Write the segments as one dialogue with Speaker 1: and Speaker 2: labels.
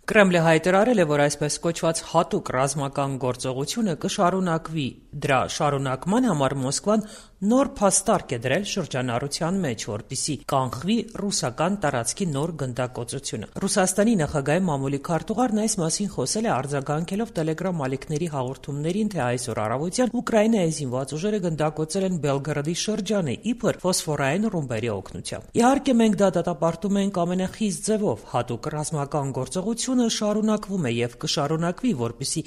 Speaker 1: Կրեմլը հայտարարել է, որ այսպես կոչված հատուկ ռազմական գործողությունը կշարունակվի։ Դրա շարունակման համար Մոսկվան նոր փաստարկ է դրել շրջանառության մեջ, որպեսզի կանխվի ռուսական տարածքի նոր գնդակոծությունը։ Ռուսաստանի նախագահի մամուլի քարտուղարն այս մասին խոսել է արձագանքելով Telegram ալիքների հաղորդումներին, թե այսօր առավոտյան Ուկրաինայի զինված ուժերը գնդակոծել են Բելգրադի շրջանը, իբր ֆոսֆորային ռումբերի օգնությամբ։ Իհարկե, մենք դա դատապարտում ենք ամենախիստ ձևով։ Հատուկ ռազմական գործողությունը շարունակվում է եւ կշարունակվի, որպեսզի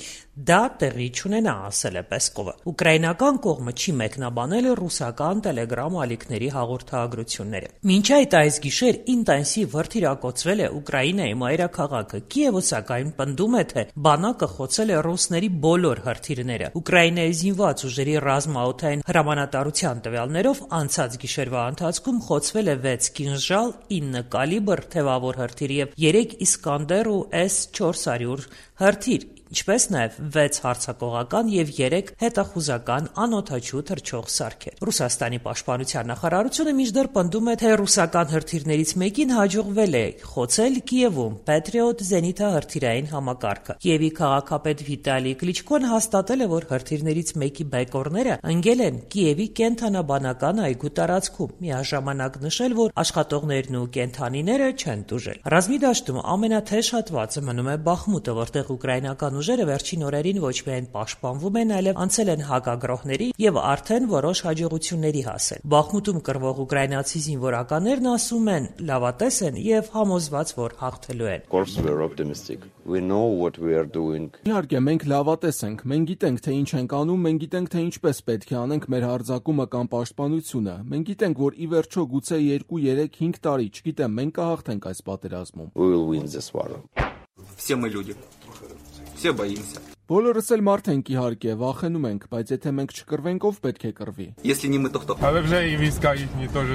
Speaker 1: դա տեղի չունենա, ասել է Պեսկովը։ Ուկրաինական կողմը չի մեկնաբանել ռուսական Telegram ալիքների հաղորդագրությունները։ Մինչ այդ այս գիշեր ինտենսիվ հրթիռակոծվել է Ուկրաինայի մայրաքաղաքը։ Կիևը սակայն պնդում է, թե բանակը խոցել է ռուսների բոլոր հրթիռները։ Ուկրաինայի զինված ուժերի ռազմաօդային հրամանատարության տվյալներով անցած գիշերվա ընթացքում խոցվել է 6 կինժալ, 9 կալիբր թևավոր հրթիռ եւ 3 Իսկանդեր ու S-400 հրթիռ, ինչպես նաև 6 հարձակողական եւ 3 հետախուզական անօդաչու թռչող սարքեր։ Ռուսաստանի պաշտպանության նախարարությունը մինչդեռ պնդում է, թե ռուսական հրթիռներից մեկին հաջողվել է խոցել Կիևում Patriot զենիթահրթիռային համակարգը։ Կիևի քաղաքապետ Վիտալի Կլիչկոն հաստատել է, որ հրթիռներից մեկի բեկորները ընկել են Կիևի կենթանաբանական այգու տարածքում, միաժամանակ նշել, որ աշխատողներն ու կենդանիները չեն տուժել։ Ռազմի դաշտում ամենաթեժ հատվածը մնում է Բախմուտը, որտեղ ուկրաինական ուժերը վերջին օրերին ոչ միայն պաշտպանվում են, այլև անցել են հակագրոհների եւ արդեն որոշ հաջողությունների հասել։ Բախմուտում կռվող ուկրաինացի զինվորականներն ասում են, լավատես են եւ համոզված, որ հաղթելու են։
Speaker 2: Իհարկե, մենք լավատես ենք, մենք գիտենք, թե ինչ ենք անում, մենք գիտենք, թե ինչպես պետք է անենք մեր հարձակումը կամ պաշտպանությունը։ Մենք գիտենք, որ ի վերջո գուցե 2, 3, 5 տարի, չգիտեմ, մենք կհաղթենք այս պատերազմում։
Speaker 3: Все мы люди. Все боимся.
Speaker 2: Բոլորս էլ մարդ ենք, իհարկե, վախենում ենք, բայց եթե մենք չկռվենք, ով պետք է կռվի։
Speaker 3: Если не мы, то кто?
Speaker 4: Але вже і війська їхні теж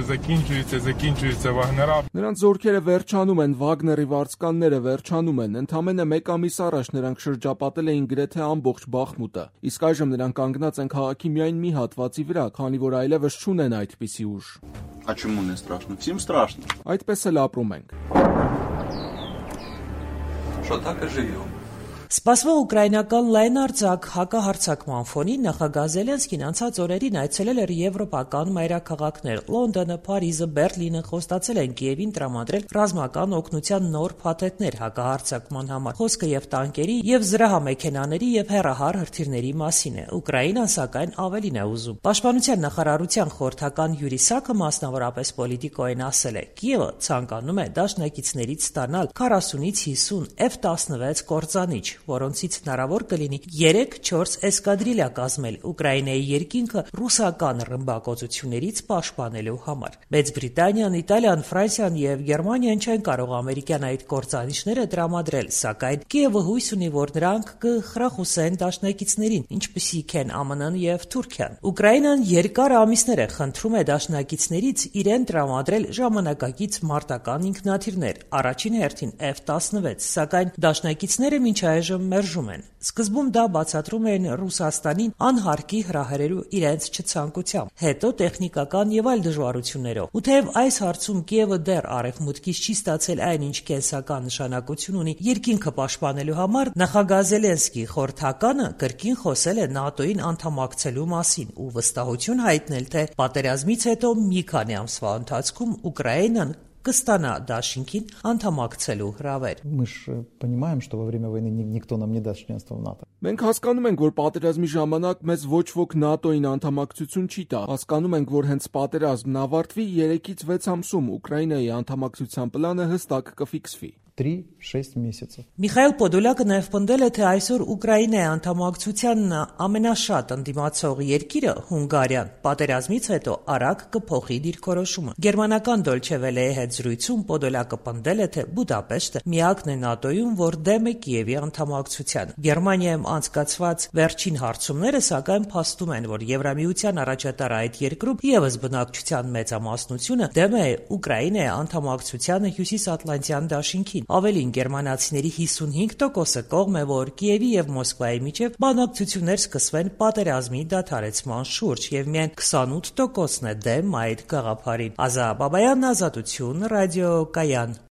Speaker 4: закінчуються Вагнера.
Speaker 2: Նրանց զորքերը վերջանում են, Վագների վարձկանները վերջանում են։ Ընդամենը 1 ամիս առաջ նրանք շրջապատել էին գրեթե ամբողջ Բախմուտը։ Իսկ այժմ նրանք կանգնած են քաղաքի միայն մի հատվածի վրա, քանի որ այլևս չունեն այդպիսի ուժ։
Speaker 3: А чому не страшно? Всім страшно.
Speaker 2: Այդպես էլ ապրում ենք։
Speaker 3: Что так и живем.
Speaker 1: Սպասվող ուկրաինական լայնարձակ հակահարձակման ֆոնին նախագահ Զելենսկին անցած օրերին այցելել էր եվրոպական մայրաքաղաքներ։ Լոնդոնը, Փարիզը, Բերլինը խոստացել են Կիևին տրամադրել ռազմական օգնության նոր փաթեթներ հակահարձակման համար։ Խոսքը եւ տանկերի, եւ զրահամեքենաների եւ հեռահար հրթիռների մասին է։ Ուկրաինան սակայն ավելին է ուզում։ Պաշտպանության նախարարության խորհրդական Յուրի Սակը մասնավորապես պոլիտիկոյին ասել է. Կիևը ցանկանում է դաշնակիցներից ստանալ 40-ից 50 F-16 կործանիչ, որոնցից հնարավոր կլինի 3-4 էսկադրիլյա կազմել Ուկրաինայի երկինքը ռուսական ռմբակոծություններից պաշտպանելու համար։ Մեծ Բրիտանիան, Իտալիան, Ֆրանսիան եւ Գերմանիան չեն կարող ամերիկյան այդ կործանիչները տրամադրել, սակայն Կիևը հույս ունի, որ նրանք կխրախուսեն դաշնակիցներին, ինչպիսիք են ԱՄՆ-ն եւ Թուրքիան։ Ուկրաինան երկար ամիսներ է խնդրում է դաշնակիցներից իրեն տրամադրել ժամանակակից մարտական ինքնաթիռներ, առաջին հերթին F-16, սակայն դաշնակիցները մինչ այժմ մերժում են։ Սկզբում դա բացատրում են Ռուսաստանին անհարկի հրահրելու իրենց չցանկությամբ, հետո տեխնիկական եւ այլ դժվարություններով։ Ու թեև այս հարցում Կիևը դեռ արևմուտքից չի ստացել այն, ինչ կենսական նշանակություն ունի երկինքը պաշտպանելու համար, նախագահ Զելենսկի խորհրդականը կրկին խոսել է ՆԱՏՕ-ին անդամակցելու մասին ու վստահություն հայտնել, թե պատերազմից հետո մի քանի ամսվա ընթացքում Ուկրաինան կստանա դաշինքին անդամակցելու հրավեր։
Speaker 5: Мы же понимаем, что во время войны никто нам не даст членство в НАТО.
Speaker 2: Մենք հասկանում ենք, որ պատերազմի ժամանակ մեզ ոչ ոք ՆԱՏՕ-ին անդամակցություն չի տա։ Հասկանում ենք, որ հենց պատերազմն ավարտվի 3-ից 6 ամսում Ուկրաինայի անդամակցության պլանը հստակ կֆիքսվի։
Speaker 5: 3-6 месяцев.
Speaker 1: Միխայել Պոդոլյակը նաև պնդել է, թե այսօր Ուկրաինայի անդամակցության ամենաշատ ընդդիմացող երկիրը Հունգարիան պատերազմից հետո արագ կփոխի դիրքորոշումը։ Գերմանական Դոլչե Վելեի հետ զրույցում Պոդոլյակը պնդել է, թե Բուդապեշտը միակն է ՆԱՏՕ-ում, որ դեմ է Կիևի անդամակցության։ Գերմանիայում անցկացված վերջին հարցումները սակայն փաստում են, որ Եվրամիության առաջատար այդ երկրում եւս բնակչության մեծամասնությունը դեմ է Ուկրաինայի անդամակցությանը Հյուսիսատլանտյան դաշինքին։ Ավելին, գերմանացիների 55%-ը կողմ է, որ Կիևի եւ Մոսկվայի միջև բանակցություններ սկսվեն պատերազմի դադարեցման շուրջ, եւ միայն 28%-ն է դեմ այդ գաղափարին։ Ազա Բաբայան, Ազատություն, ռադիո Կայան։